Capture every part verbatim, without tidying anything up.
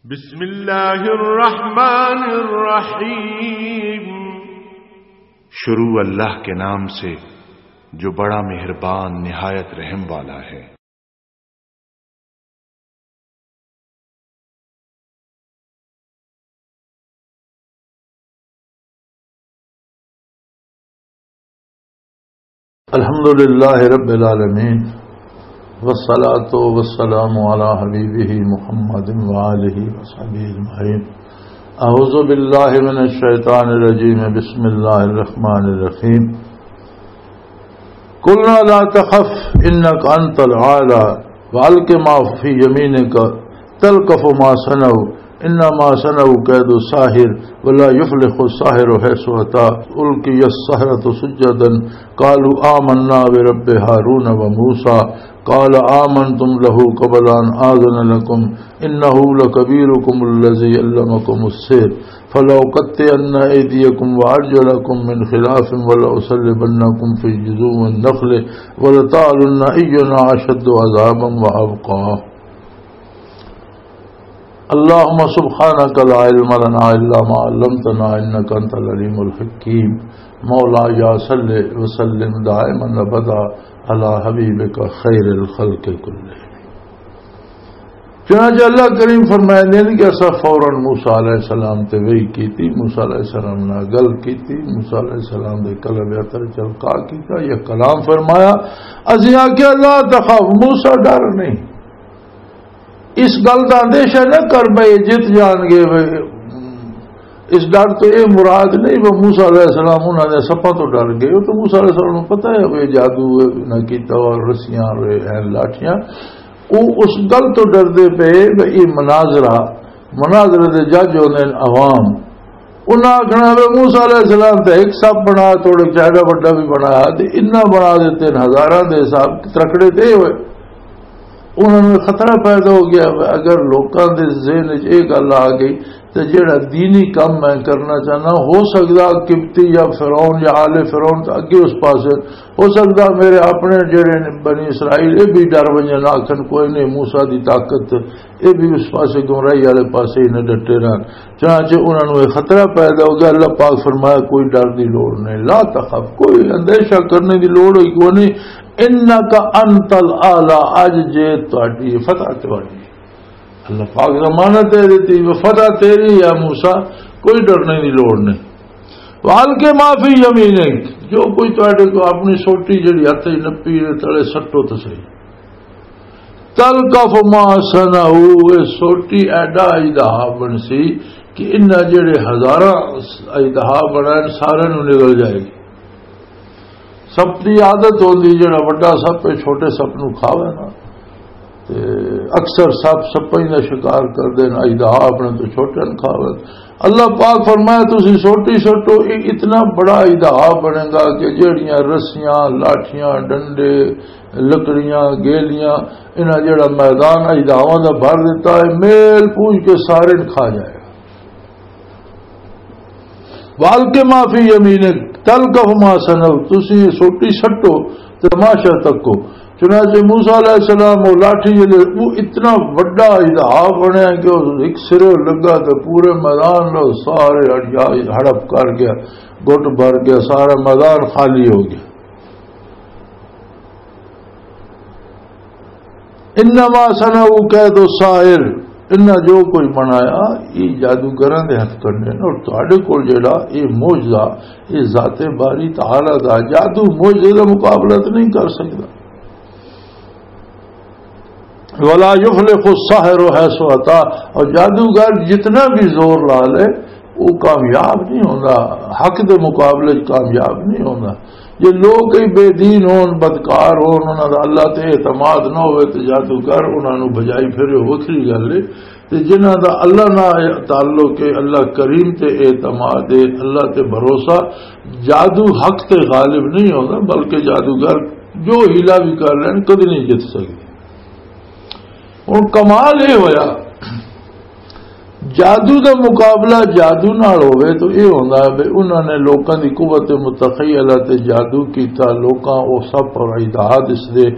بسم اللہ الرحمن الرحیم۔ شروع اللہ کے نام سے، جو بڑا مہربان، نہایت رحم والا ہے۔ الحمد لله رب العالمين، والصلاة والسلام على حبيبه محمد وآله وصحبه أجمعين. أعوذ بالله من الشيطان الرجيم. بسم الله الرحمن الرحيم. قلنا لا تخف إنك أنت الأعلى وألق ما في يمينك تلقف ما صنعوا إنما صنعوا كيد ساحر ولا يفلح الساحر حيث أتى. ألقي السحرة سجدا قالوا آمنا برب هارون وموسى قال آمنتم له قبل أن آذن لكم إنه لكبيركم الذي علمكم السحر فلأقطعن أيديكم وأرجلكم من خلاف ولأصلبنكم في جذوع النخل ولتعلن أينا أشد عذابا وأبقى. اللهم سبحانك لا علم لنا إلا ما علمتنا إنك أنت العليم الحكيم. مولاي صل وسلم دائما أبدا على حبيبك خير الخلق كلهم. چنانچہ اللہ کریم فرمائے دین کہ اسا فوراً موسیٰ علیہ السلام تے وحی کیتی، موسیٰ علیہ السلام نال گل کیتی، موسیٰ علیہ السلام دے قلب اتر چلکا کیتا، یہ کلام فرمایا، اسی آکھیا، "لا تخف"، موسیٰ ڈر نہیں، اس گل دا اندیشہ نہ کر، بھئی جت جان گے، بھئی اس ڈر تو یہ مراد نہیں وہ موسیٰ علیہ السلام انہاں دے سپاں تو ڈر گئے۔ وہ تو موسیٰ علیہ السلام نوں پتہ ہے وہ جادو نہ کیتا اور رسیاں اور ہیں لاٹھیاں۔ وہ اس گل تو ڈردے پے کہ یہ مناظرہ، مناظرے دے جج ہوندے نے عوام۔ انہاں آکھنا وے موسیٰ علیہ السلام تے ایک سپ بنا، تھوڑے چہرہ وڈا بھی بنایا تے انہاں بنا دے تین ہزاراں دے حساب ترکڑے تے ہوئے۔ انہاں نوں خطرہ پیدا ہو گیا، اگر لوکاں دے ذہن وچ یہ گل آ گئی تے جڑا دینی کم میں کرنا چاہنا، ہو سکدا قبطی یا فرعون یا آل فرعون تے اگے اس پاسے، ہو سکدا میرے اپنے جڑے نے بنی اسرائیل، یہ بھی ڈر ونجن، آکھن کوئی نہیں، موسیٰ دی طاقت، یہ بھی اس پاسے گمراہی والے پاسے ہی نہ ڈٹے رہن۔ چنانچہ انہاں نوں یہ خطرہ پیدا ہو گیا۔ اللہ پاک فرمایا، "کوئی ڈر دی لوڑ نہیں، لا تخف"، کوئی اندیشہ کرنے دی لوڑ ہی کوئی نہیں۔ "انک انت الاعلی"، اج جے تہاڈی فتح تہاڈی۔ اللہ پاک ضمانت دے دیتی، "وہ فتح تیری ہے موسیٰ، کوئی ڈرنے دی لوڑ نہیں۔" "والق ما فی یمینک"، جو کوئی تہاڈے کو اپنی سوٹی جڑی ہتھ وچ نپی دے تلے سٹو تے صحیح۔ تلقف ما صنعوا، اے سوٹی ایڈا اجدہا بن سی کہ انہاں جڑے ہزاراں اجدہا بنائے سارے نوں نگل جائے گی۔ سپ دی عادت ہوندی جڑا وڈا سپ ہے چھوٹے سپ نوں کھاوے نا، تے اکثر سپ سپاں دا شکار کردے نے، اجدہا اپنے تو چھوٹے نوں کھاوے۔ اللہ پاک فرمایا، "تسی سوٹی سٹو"، یہ اتنا بڑا اجدہا بنے گا کہ جڑیاں رسیاں، لاٹھیاں، ڈنڈے، لکڑیاں، گیلیاں، انہاں جڑا میدان اجدہاواں دا بھر دیتا ہے، میل پوج کے سارے نوں کھا جائے گا۔ "والق ما فی یمینک تلقف ما صنعوا"، تسی یہ سوٹی سٹو تے تماشا تکو۔ چنانچہ موسیٰ علیہ السلام وہ لاٹھی جلے، وہ اتنا وڈا اجدہا بنیا کہ وہ ایک سرے لگا تے پورے میدان نوں سارے ہڑیا-، ہڑپ کر گیا، گٹ بھر گیا، سارا میدان خالی ہو گیا۔ "انما صنعوا کید ساحر"، انہاں جو کوئی بنایا، یہ جادوگراں دے ہتھ کنڈے نے، اور تہاڈے کول جڑا یہ معجزہ، یہ ذات باری تعالیٰ دا جادو معجزے دا مقابلہ تے نہیں کر سکدا۔ "ولا یفلح الساحر حیث اتی"، اور جادوگر جتنا بھی زور لا لے، وہ کامیاب نہیں ہوندا، حق دے مقابلے وچ کامیاب نہیں ہوندا۔ جے لوگ کئی بے دین ہون، بدکار ہون، انہاں دا اللہ تے اعتماد نہ ہوئے تے جادوگر انہاں نوں بجائی پھرے، وکھری گل ہے۔ تے جنہاں دا اللہ نال تعلق ہے، اللہ کریم تے اعتماد ہے، اللہ تے بھروسہ، جادو حق تے غالب نہیں ہوندا، بلکہ جادوگر جو حیلہ بھی کر لین، کدی نہیں جت سکدے۔ ہن کمال یہ ہویا، جادو دا مقابلہ جادو نال ہوئے تو یہ ہوندا ہے بھی انہاں نے لوکاں دی قوت متخیلہ تے جادو کیتا، لوکاں او سب اور اجدہا دس دے،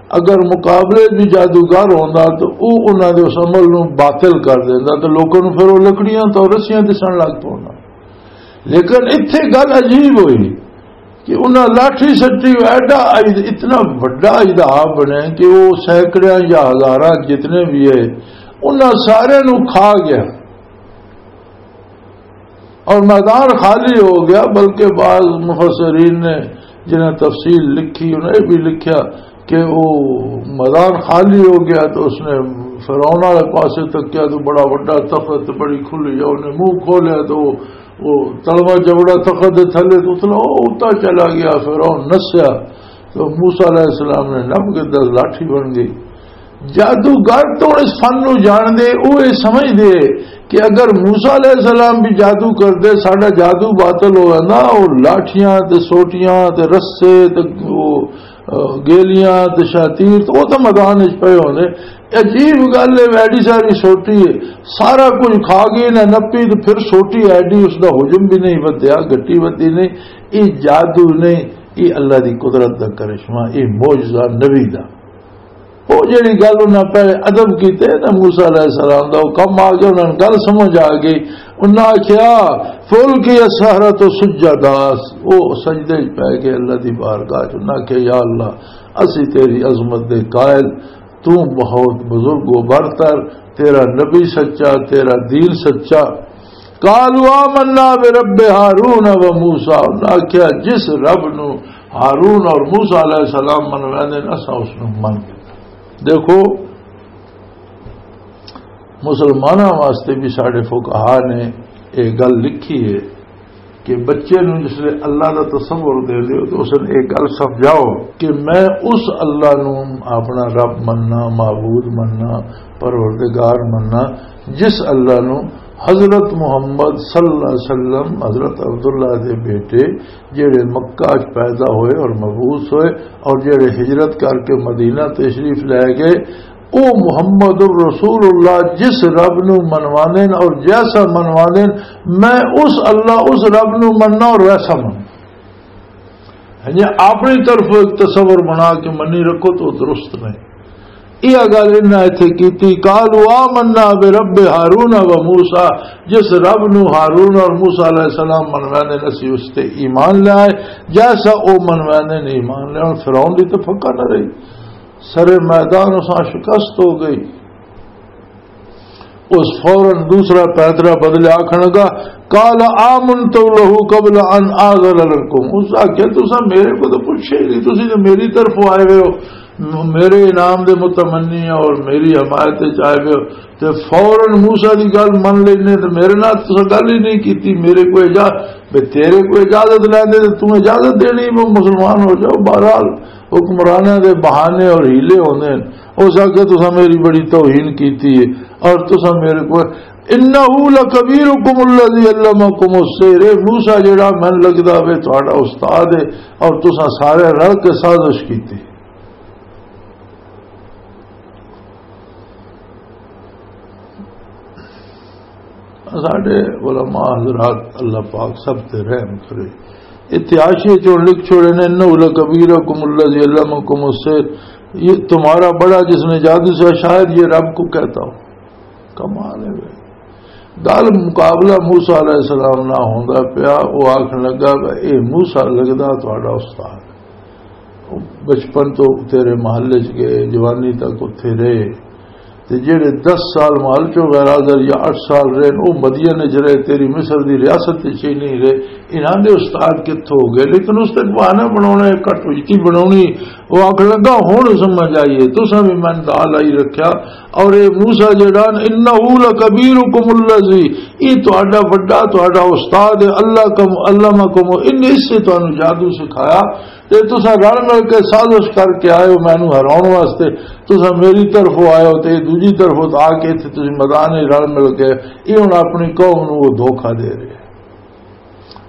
اگر مقابلے بھی جادوگر ہوندا تو او انہاں دے اس عمل نوں باطل کر دیندا، تو لوکاں نوں پھر او لکڑیاں تو رسیاں دسن لگ پوندا۔ لیکن اتھے گل عجیب ہوئی کہ انہاں لاٹھی سٹی، ایڈا اج-، اتنا وڈا اجدہا بنیا کہ وہ سینکڑیاں یا ہزاراں جتنے بھی ہے، انہاں سارے نوں کھا گیا اور میدان خالی ہو گیا۔ بلکہ بعض مفسرین نے، جنہاں تفصیل لکھی، انہاں یہ بھی لکھیا کہ وہ میدان خالی ہو گیا تو اس نے فرعون والے پاسے تکیا تو بڑا وڈا تخت، بڑی کھلی، انہیں منہ کھولیا تو وہ تلوا جبڑا تخت دے تھلے تو اتلا، وہ اتنا چلا گیا، فرعون نسیا۔ تو موسیٰ علیہ السلام نے نپ کے دس لاٹھی بن گئی۔ جادوگر تو اس فن نو جان دے، وہ یہ سمجھ دے کہ اگر موسیٰ علیہ السلام بھی جادو کر دے، ساڈا جادو باطل ہو جانا، وہ لاٹھیاں تے سوٹیاں تے رسے تے وہ، آ، گیلیاں تے شاتیر تے وہ تو میدان وچ پئے ہوندے۔ عجیب گل ہے، ایڈی ساری سوٹی ہے، سارا کچھ کھا گئی نہ نپی، تے پھر سوٹی ایڈی، اس دا حجم بھی نہیں ودیا، گٹی ودی نہیں۔ یہ جادو نہیں، یہ اللہ دی قدرت دا کرشمہ، یہ معجزہ نبی دا۔ وہ جڑی گل انہاں پہلے ادب کیتے نا موسیٰ علیہ السلام دا، وہ کم آ گیا، انہاں نوں گل سمجھ آ گئی۔ انہاں آکھیا، "فالقی السحرۃ سجدا"، وہ سجدے وچ پے گئے اللہ دی بارگاہ چ۔ انہاں آکھیا، "یا اللہ، اسی تیری عظمت دے قائل، تو بہت بزرگ و برتر، تیرا نبی سچا، تیرا دین سچا۔" قالوا آمنا برب ہارون و موسیٰ، انہاں آکھیا، "جس رب نو ہارون اور موسیٰ علیہ السلام منواندے نے، اساں اس نو من گیا۔" دیکھو، مسلماناں واسطے بھی ساڈے فقہا نے یہ گل لکھی ہے کہ بچے نوں جس لے اللہ دا تصور دے دیو تو اس نے یہ گل سمجھاؤ کہ میں اس اللہ نوں اپنا رب مننا، معبود مننا، پروردگار مننا، جس اللہ نوں حضرت محمد صلی اللہ علیہ وسلم، حضرت عبداللہ دے بیٹے، جڑے مکہ چ پیدا ہوئے اور مبعوث ہوئے اور جڑے ہجرت کر کے مدینہ تشریف لے گئے، او محمد الرسول اللہ جس رب نو منواندے نے اور جیسا منواندے نے، میں اس اللہ، اس رب نو مننا اور ویسا مننا۔ یعنی اپنی طرف ایک تصور بنا کے منی رکھو تو درست نہیں۔ یہ گل انہاں ایتھے کیتی، "قالوا آمنا برب ہارون و موسیٰ"، جس رب نو ہارون اور موسیٰ علیہ السلام منواندے نے، اسی اس تے ایمان لے آئے، جیسا او منواندے نے ایمان لے آئے۔ فرعون دی تو پھکا نہ رہی، سر میدان اساں شکست ہو گئی۔ اس فوراً دوسرا پیترا بدلے آکھن لگا، "قال آمنت له قبل ان آذن لكم"، اس آکھیا، "تساں میرے کو تو پوچھے ہی نہیں، تسی تو میری طرف آئے ہوئے ہو، م-، میرے انعام دے متمنی ہو اور میری حمایت وچ آئے ہوئے ہو، تے فوراً موسیٰ دی گل من لینے تے میرے نال تساں گل ہی نہیں کیتی، میرے کو اجازت، بے تیرے کو اجازت لیندے تے توں اجازت دینی وہ مسلمان ہو جاؤ۔" بہرحال حکمراناں دے بہانے اور حیلے ہوندے نے۔ اس آکھیا، "تساں میری بڑی توہین کیتی ہے اور تساں میرے کو، انہ لکبیرکم الذی علمکم السحر"، اے موسیٰ جڑا من لگدا وے تہاڈا استاد ہے اور تساں سارے رل کے سازش کیتی۔ ساڈے علماء حضرات، اللہ پاک سب تے رحم کرے۔ اتحاشی چوں لکھ چھوڑے نے، "انہ لکبیرکم الذی علمکم السحر"، یہ تمہارا بڑا جس نے جادو سکھایا، شاید یہ رب کو کہتا ہو۔ کمال ہے بھائی۔ گل مقابلہ موسیٰ علیہ السلام نہ ہوندا پیا، وہ آکھن لگا کہ اے موسیٰ لگدا تہاڈا استاد۔ بچپن تو تیرے محل چ گئے، جوانی تک اتھے رہے، تے جڑے دس سال محل چوں غیر حاضر یا اٹھ سال رہے، او مدین چ رہے، تیری مصر دی ریاست وچ ہی نہیں رہے۔ انہاں دے استاد کتھوں ہو گئے؟ لیکن اس تے بہانہ بناونا، ایک کٹوتی بناونی۔ وہ آکھن لگا، "ہن سمجھ آئی ہے، تساں بھی من دال آئی رکھیا۔" اور اے موسیٰ جڑا، "انہ لکبیرکم الذی"، یہ تہاڈا وڈا، تہاڈا استاد ہے، اللہ کم، علمکم، ان اس سے تانوں جادو سکھایا۔ تے تساں رل مل کے سازش کر کے آئے ہو مینوں ہراؤن واسطے، تساں میری طرفوں آئے ہو تے دوجی طرفوں آ کے اتھے تساں میدان وچ رل مل کے، یہ ہن اپنی قوم نوں وہ دھوکا دے رہے ہیں۔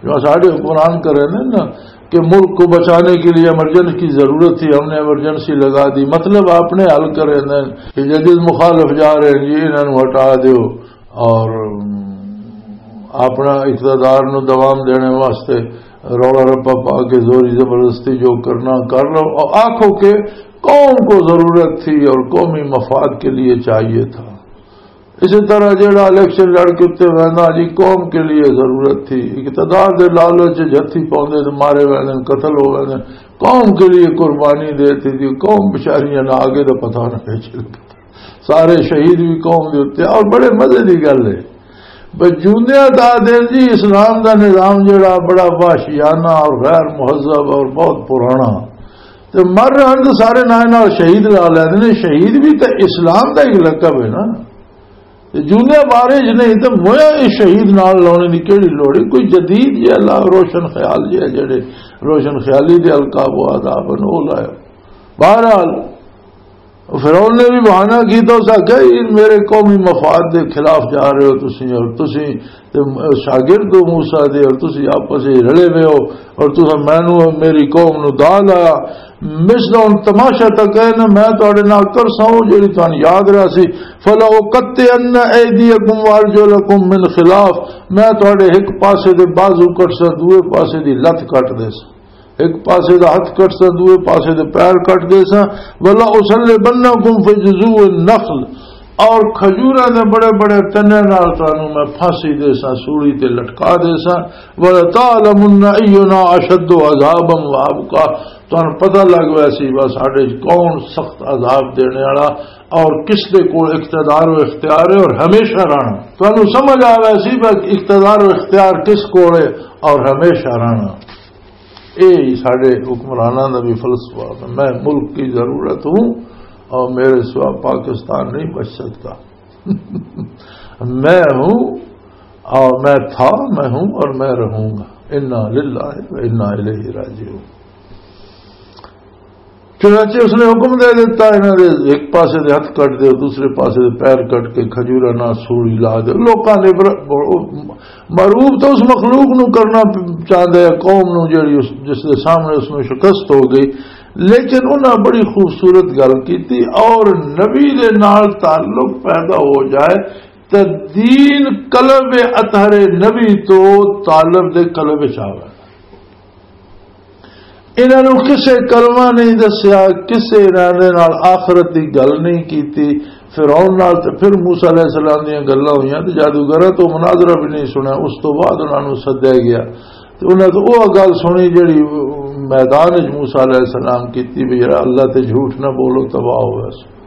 جو ساڈے حکمران کرے نا کہ ملک کو بچانے کے لیے ایمرجنسی کی ضرورت تھی، ہم نے ایمرجنسی لگا دی، مطلب اپنے حل کرے نا کہ جدید مخالف جا رہے ہیں جی، انہاں نوں ہٹا دیو۔ اور اپنا اقتدار نو دوام دینے واسطے رولا رپا پا کے زوری زبردستی جو کرنا کر لو، اور آکھو کہ قوم کو ضرورت تھی اور قومی مفاد کے لیے چاہیے تھا۔ اسی طرح جڑا الیکشن لڑ کے اتنے وہدا جی، قوم کے لیے ضرورت تھی، اقتدار دے لالچ وچ ہتھی پاؤندے تے مارے ویندے، قتل ہو ویندے۔ قوم کے لیے قربانی دے تھی، قوم بچاریاں نہ آگے دا پتہ نہ پیچھے۔ سارے شہید بھی قوم دے اتنے، اور بڑے مزے دی گل ہے۔ بس جوندیاں دا دن جی، اسلام دا نظام جڑا بڑا وحشیانہ اور غیر مہذب اور بہت پرانا، تے مر رہن تے سارے نال نال شہید لا لیندے نے۔ شہید بھی تے اسلام دا ایک لقب ہے نا۔ تے جوندیاں بارش نہیں تے مویا اس شہید نال لانے دی کیڑی لوڑ ہے؟ کوئی جدید جی اللہ روشن خیال جی ہے، جڑے روشن خیالی دے القاب و آداب ہیں، وہ لایا۔ بہرحال، فرعون نے بھی بہانہ کیتا، اس آکھیا، "یہ میرے قومی مفاد دے خلاف جا رہے ہو تسی، اور تسی تے شاگرد ہو موسیٰ دے، اور تسی آپس وچ رلے ہوئے ہو، اور تساں مینوں اور میری قوم نو دا لایا۔" مصر دا ہن تماشا تک ہے نا، میں تہاڈے نال کرساں، او جڑی تہانوں یاد رہسی، "فَلَأُقَطِّعَنَّ أَيْدِيَكُمْ وَأَرْجُلَكُمْ مِنْ خِلَافٍ"، میں تہاڈے ایک پاسے دے بازو کٹساں، دوے پاسے دی لت کٹ دیساں۔ ایک پاسے دا ہتھ کٹساں، دوے پاسے دے پیر کٹ دیساں۔ "وَلَأُصَلِّبَنَّكُمْ فِي جُذُوعِ النَّخْلِ"، اور کھجوراں دے بڑے بڑے تنے نال تانوں میں پھانسی دیساں، سولی تے لٹکا دیساں۔ "وَلَتَعْلَمُنَّ أَيُّنَا أَشَدُّ عَذَابًا وَأَبْقَىٰ"، تانوں پتہ لگ ویسی بس ساڈے وچ کون سخت عذاب دینے والا اور کس دے کول اقتدار و اختیار ہے اور ہمیشہ رہنا۔ تانوں سمجھ آ ویسی بس اقتدار و اختیار کس کول ہے اور ہمیشہ رہنا۔ اے ہی ساڈے حکمراناں دا بھی فلسفہ ہے۔ میں ملک کی ضرورت ہوں اور میرے سوا پاکستان نہیں بچ سکتا۔ میں ہوں اور میں تھا، میں ہوں اور میں رہوں گا۔ انا للہ و انا الیہ راجعون۔ چنانچہ اس نے حکم دے دیتا، انہاں دے ایک پاسے دے ہتھ کٹ دے، دوسرے پاسے دے پیر کٹ کے کھجوراں نال سولی لا دے۔ لوکاں نے بر-، مرعوب تو اس مخلوق نو کرنا چاہندا ہے، قوم نو جڑی اس، جس دے سامنے اس نو شکست ہو گئی، لیکن انہاں بڑی خوبصورت گل کیتی، اور نبی دے نال تعلق پیدا ہو جائے تے دین قلب اطہر نبی تو طالب دے قلب وچ آوے۔ انہاں نوں کسے کلمہ نہیں دسیا، کسے انہاں دے نال آخرت دی گل نہیں کیتی۔ فرعون نال تے پھر موسیٰ علیہ السلام دیاں گلاں ہوئیاں تے جادوگراں تو مناظرہ بھی نہیں سنیا۔ اس تو بعد انہاں نوں سدیا گیا تے انہاں تو وہ گل سنی جڑی میدان وچ موسیٰ علیہ السلام کیتی بھی، یار، اللہ تے جھوٹ نہ بولو، تباہ ہوئے۔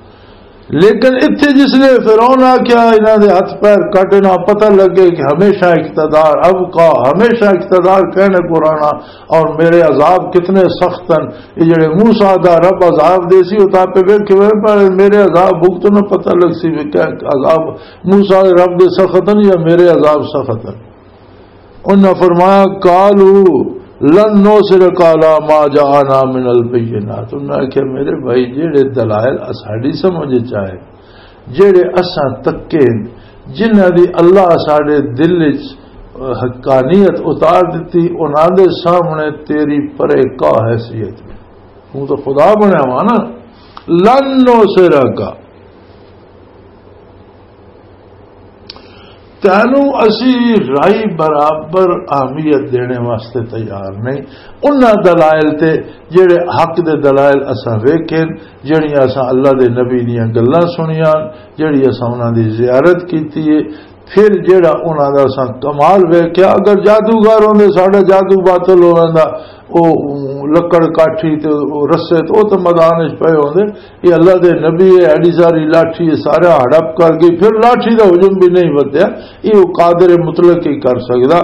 لیکن اتھے جس لے فرعون آکھیا، انہاں دے ہتھ پیر کٹنا، پتہ لگے کہ ہمیشہ اقتدار ابقا، ہمیشہ اقتدار کہنے کو رہنا، اور میرے عذاب کتنے سخت ہیں۔ یہ جڑے موسیٰ دا رب عذاب دے سی، وہ تاں پہ ویکھ کے پر میرے عذاب بھگتنا پتہ لگ سی کہ کیا عذاب موسیٰ دے رب دے سخت ہیں یا میرے عذاب سخت ہیں۔ انہاں فرمایا، "قالوا لن نؤثرك على ما جاءنا من البينات۔" انہاں آکھیا، "میرے بھائی، جڑے دلائل اساڈی سمجھ وچ آئے، جڑے اساں تکے، جنہاں دی اللہ ساڈے دل وچ حقانیت اتار دتی، انہاں دے سامنے تیری پرے کا حیثیت ہے؟ تو تو خدا بنیا ہوا نا، لن نؤثرك۔" تینوں اسی رائی برابر اہمیت دینے واسطے تیار نہیں۔ انہاں دلائل تے، جڑے حق دے دلائل اساں ویکھے، جڑیاں اساں اللہ دے نبی دیاں گلاں سنیاں، جڑی اساں انہاں دی زیارت کیتی ہے، پھر جڑا انہاں دا اساں کمال ویکھیا، اگر جادوگر ہوندے، ساڈا جادو باطل ہو ویندا، او لکڑ کاٹھی تے او رسے تے او تے میدان وچ پئے ہوندے۔ یہ اللہ دے نبی ہے، ایڈی ساری لاٹھی ہے، سارا ہڑپ کر گئی، پھر لاٹھی دا ہجوم بھی نہیں ودیا۔ یہ وہ قادر مطلق ہی کر سکدا۔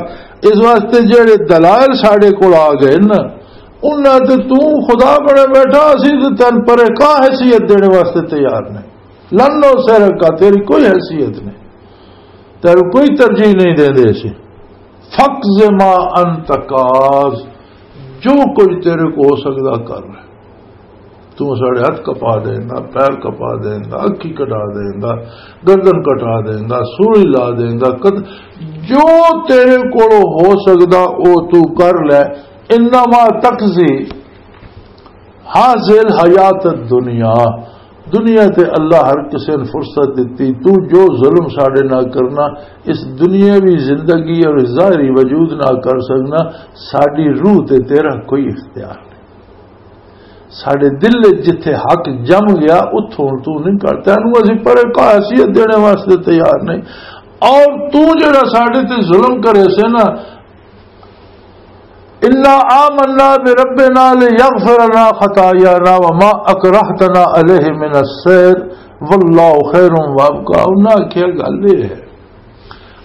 اس واسطے جڑے دلائل ساڈے کول آ گئے نا، انہاں تے تو خدا بنے بیٹھا، اسی تے تن پرے کا حیثیت دینے واسطے تیار نہیں۔ لن نؤثرك، تیری کوئی حیثیت نہیں، تیرے کوئی ترجیح نہیں دے دے اسی۔ فقض ما انت قاض، جو کچھ تیرے کو ہو سکدا کر لے۔ تو ساڈے ہتھ کپا دیندا، پیر کپا دیندا، اکھی کٹا دیندا، گردن کٹا دیندا، سوئی لا دیندا، کد-، جو تیرے کولوں ہو سکدا او تو کر لے۔ انما تقضی هذه الحیات الدنیا، دنیا تے اللہ ہر کسے نوں فرصت دتی، تو جو ظلم ساڈے نال کرنا، اس دنیاوی زندگی اور ظاہری وجود نال کر سکنا، ساڈی روح تے تیرا کوئی اختیار نہیں۔ ساڈے دل وچ جتھے حق جم گیا، اتھوں تو نہیں کر، تینوں اسی پرے کاہ حیثیت دینے واسطے تیار نہیں۔ اور تو جڑا ساڈے تے ظلم کرے سے نا، "انا آمنا بربنا لیغفر لنا خطایانا وما اکرہتنا علیہ من السحر واللہ خیر وابقا۔" انہاں آکھیا، گل یہ ہے،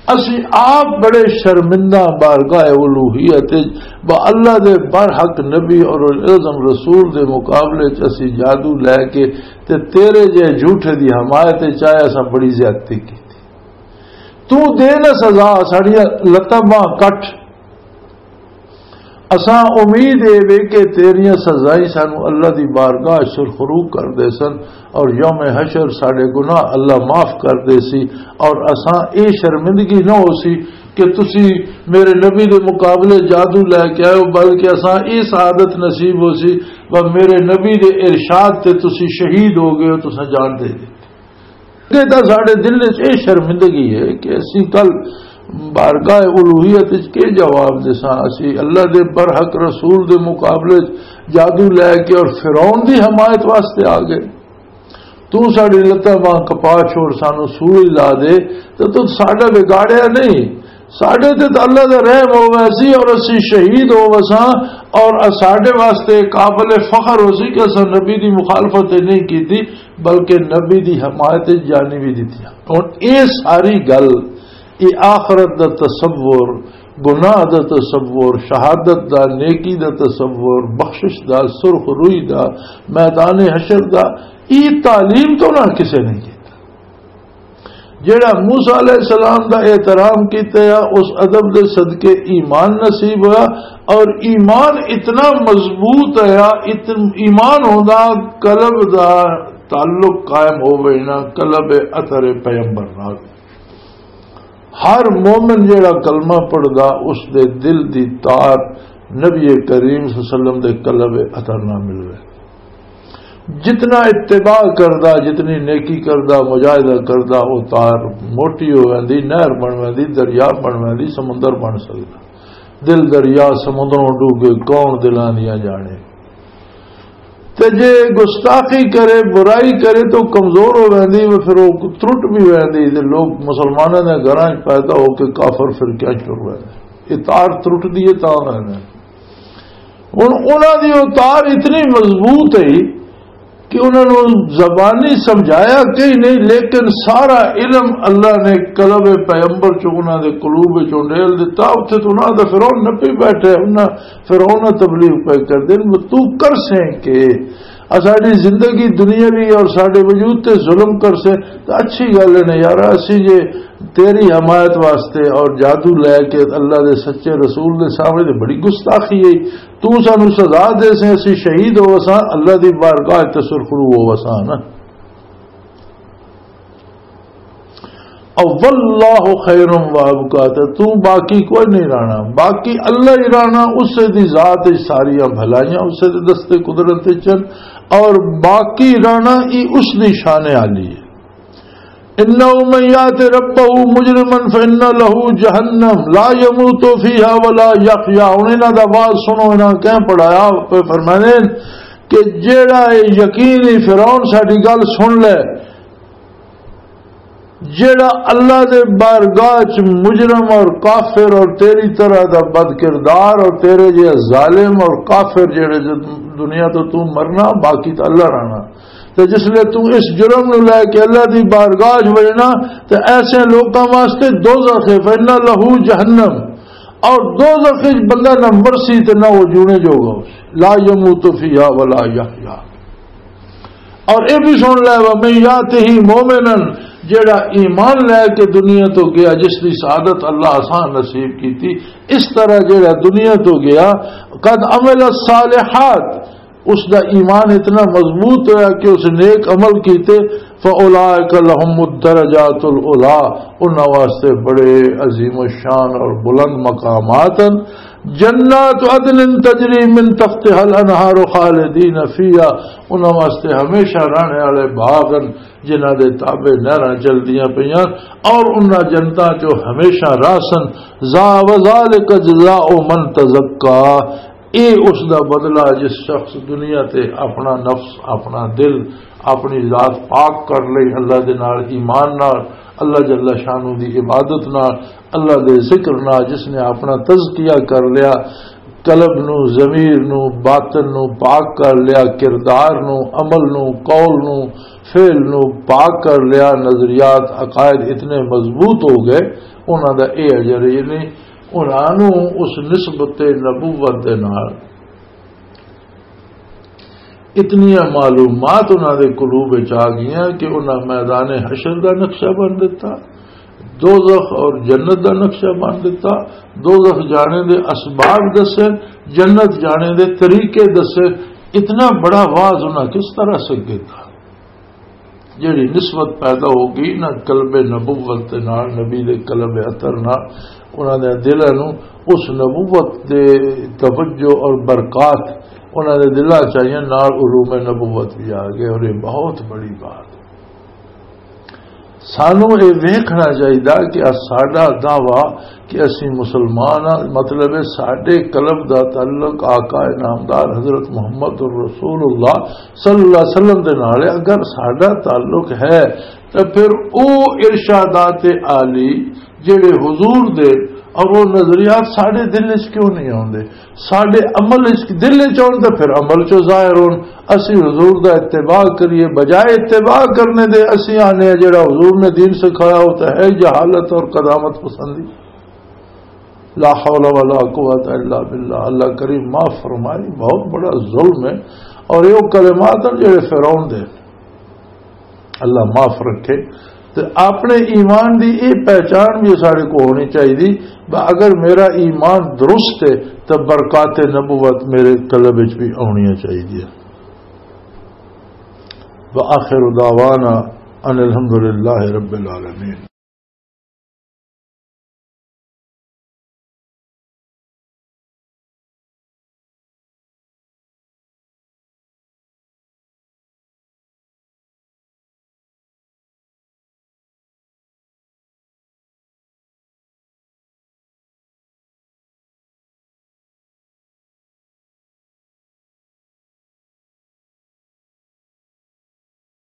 اسی آپ بڑے شرمندہ بارگاہ الوہیت وچ با اللہ دے برحق نبی اور اعظم رسول دے مقابلے چ اسی جادو لے کے تے تیرے جے جھوٹے دی حمایت چ آئے، اساں بڑی زیادتی کی۔ تو دے نہ سزا، ساڈیاں لتاں باہاں کٹ۔ اساں امید اے وے کہ تیریاں سزائیں سانو اللہ دی بارگاہ سرخرو کر دے سن، اور یوم حشر ساڈے گناہ اللہ معاف کر دے سی، اور اساں اے شرمندگی نہ ہو سی کہ تسی میرے نبی دے مقابلے جادو لے کے آئے ہو، بلکہ اساں اے سعادت نصیب ہو سی، و میرے نبی دے ارشاد تے تسی شہید ہو گئے ہو، تساں جان دے دتی۔ کہ تاں ساڈے دل وچ اے شرمندگی ہے کہ اسی کل بارگاہ الوہیت وچ کے جواب دساں؟ اسی اللہ دے برحق رسول دے مقابلے وچ جادو لے کے اور فرعون دی حمایت واسطے آ گئے۔ تو ساڈی لتاں باہاں کپا چھوڑ، سانو سوئی لا دے، تے تو ساڈا بگاڑیا نہیں۔ ساڈے تے تے اللہ دا رحم ہووے سی اور اسی شہید ہووساں، اور ساڈے واسطے قابل فخر ہو سی کہ اساں نبی دی مخالفت تے نہیں کیتی، بلکہ نبی دی حمایت وچ جانی بھی دتیاں۔ ہن اے ساری گل، اے آخرت دا تصور، گناہ دا تصور، شہادت دا، نیکی دا تصور، بخشش دا، سرخ روئی دا، میدان حشر دا، اے تعلیم تو نہ کسے نہیں کیتا۔ جیڑا موسیٰ علیہ السلام دا احترام کیتا ہے، اس ادب دے صدقے ایمان نصیب ہوا، اور ایمان اتنا مضبوط ہے، اتن-، ایمان ہوندا قلب دا تعلق قائم ہووے نا، قلب اثر پیغمبر نال۔ ہر مومن جیڑا کلمہ پڑھدا، اس دے دل دی تار نبی کریم صلی اللہ علیہ وسلم دے قلب اثر نہ ملوے۔ جتنا اتباع کردا، جتنی نیکی کردا، مجاہدہ کردا، وہ تار موٹی ہو ویندی، نہر بن ویندی، دریا بن ویندی، سمندر بن سکدا۔ دل دریا سمندروں ڈوبے، کون دلاں دیاں جانے۔ تے جے گستاخی کرے، برائی کرے، تو کمزور ہو ویندی، وہ پھر وہ ترٹ بھی ویندی۔ تے لوگ مسلماناں دے گھراں وچ پیدا ہو کے کافر فرقیاں چ ٹر ویندے۔ یہ تار ترٹدی ہے، تاں ویندے۔ ہن انہاں دی وہ تار اتنی مضبوط ہے کہ انہاں نوں زبانی سمجھایا کہیں نہیں، لیکن سارا علم اللہ نے قلب پیغمبر چوں انہاں دے قلوب وچ انڈیل دتا۔ اتھے تو انہاں دا فرعون نپی بیٹھے، انہاں فرعون تبلیغ پہ کر دین، تو کر سیں کہ اساڈی زندگی دنیاوی اور ساڈے وجود تے ظلم کر سیں، تو اچھی گل ہے نا یار۔ اسی جے تیری حمایت واسطے اور جادو لے کے اللہ دے سچے رسول دے سامنے، تے بڑی گستاخی ہے۔ تو سانو سزا دے سیں، اسی شہید ہو وساں، اللہ دی بارگاہ تے سرخرو ہو وساں نا۔ او واللہ خیر و ابقا، تے تو باقی کوئی نہیں رہنا، باقی اللہ ہی رہنا، اسے دی ذات وچ ساریاں بھلائیاں، اسے دے دستے قدرت وچ ہن، اور باقی رہنا ہی اس دی شان عالی ہے۔ انه من یات ربه مجرما فان له جهنم لا يموت فيها ولا يحيا۔ ہن انہاں دا واز سنو، انہاں کہیں پڑھایا، پہ فرمانے کہ جیڑا اے یقینی فرعون ساڈی گل سن لے، جیڑا اللہ دے بارگاہ چ مجرم اور کافر اور تیری طرح دا بد کردار اور تیرے جے ظالم اور کافر جیڑے جو دنیا تو تو مرنا، باقی تو اللہ رہنا۔ تے جس لے تو اس جرم نو لے کے اللہ دی بارگاہ چ وجنا، تے ایسے لوکاں واسطے دوزخ ہے، فإن له جہنم، اور دوزخ وچ بندہ نہ مرسی تے نہ وہ جونے جوگا ہو، لا يموت فيها ولا يحيا۔ اور اے بھی سن لے، ومن یاته مؤمنا، جیڑا ایمان لے کے دنیا تو گیا، جس دی سعادت اللہ آسان نصیب کیتی، اس طرح جیڑا دنیا تو گیا، قد عمل الصالحات، اس دا ایمان اتنا مضبوط ہویا کہ اس نیک عمل کیتے، فاولئک لهم الدرجات العلی، انہاں واسطے بڑے عظیم الشان اور بلند مقامات ہیں۔ جنات عدن تجری من تحتها الانہار خالدین فیہا، انہاں واسطے ہمیشہ رہنے والے باغ ہیں جنہاں دے تابع نہراں چلدیاں پیاں، اور انہاں جنتاں چوں ہمیشہ راہسن۔ ذا وذالک جزاء من تزکا، اے اس دا بدلہ جس شخص دنیا تے اپنا نفس، اپنا دل، اپنی ذات پاک کر لئی اللہ دے نال، ایمان نال، اللہ جل شانہ دی عبادت نال، اللہ دے ذکر نال، جس نے اپنا تزکیہ کر لیا، قلب نو، ضمیر نو، باطن نو پاک کر لیا، کردار نو، عمل نو، قول نو، فعل نو پاک کر لیا، نظریات، عقائد اتنے مضبوط ہو گئے، انہاں دا اے اجر، یعنی انہاں نوں اس نسبت نبوت دے نال اتنیاں معلومات انہاں دے قلوب وچ آ گئیاں کہ انہاں میدان حشر دا نقشہ بن دتا، دوزخ اور جنت دا نقشہ بن دتا، دوزخ جانے دے اسباب دسے، جنت جانے دے طریقے دسے۔ اتنا بڑا واز انہاں کس طرح سکے تھا؟ جڑی نسبت پیدا ہو گئی نا قلب نبوت دے نال، نبی دے قلب عطر نال، انہاں دے دلاں نوں اس نبوت دے توجہ اور برکات انہاں دے دلاں چ آئیاں، نال علوم نبوت بھی آ گئے، اور یہ بہت بڑی بات۔ سانوں یہ ویکھنا چاہیدا کہ آ ساڈا دعویٰ کہ اسی مسلمان ہاں، مطلب ہے ساڈے قلب دا تعلق آقا انعامدار حضرت محمد رسول اللہ صلی اللہ علیہ وسلم دے نال ہے۔ اگر ساڈا تعلق ہے تو پھر او ارشادات عالی جڑے حضور دے اور وہ نظریات ساڈے دل وچ کیوں نہیں آوندے؟ ساڈے عمل وچ، دل وچ آون تے پھر عمل چوں ظاہر ہون۔ اسی حضور دا اتباع کریے، بجائے اتباع کرنے دے اسی آنے ہیں جڑا حضور نے دین سکھایا، وہ تو ہے جہالت اور قدامت پسندی۔ لا حول ولا قوت الا باللہ۔ اللہ کریم معاف فرمائے، بہت بڑا ظلم ہے۔ اور یہ وہ کلمات ہیں جڑے فرعون دے، اللہ معاف رکھے۔ تے اپنے ایمان دی یہ پہچان بھی سارے کو ہونی چاہیے۔ ب-، اگر میرا ایمان درست ہے تو برکات نبوت میرے قلب وچ بھی آنی چاہیے۔ وآخر دعوانا ان الحمدللہ رب العالمین۔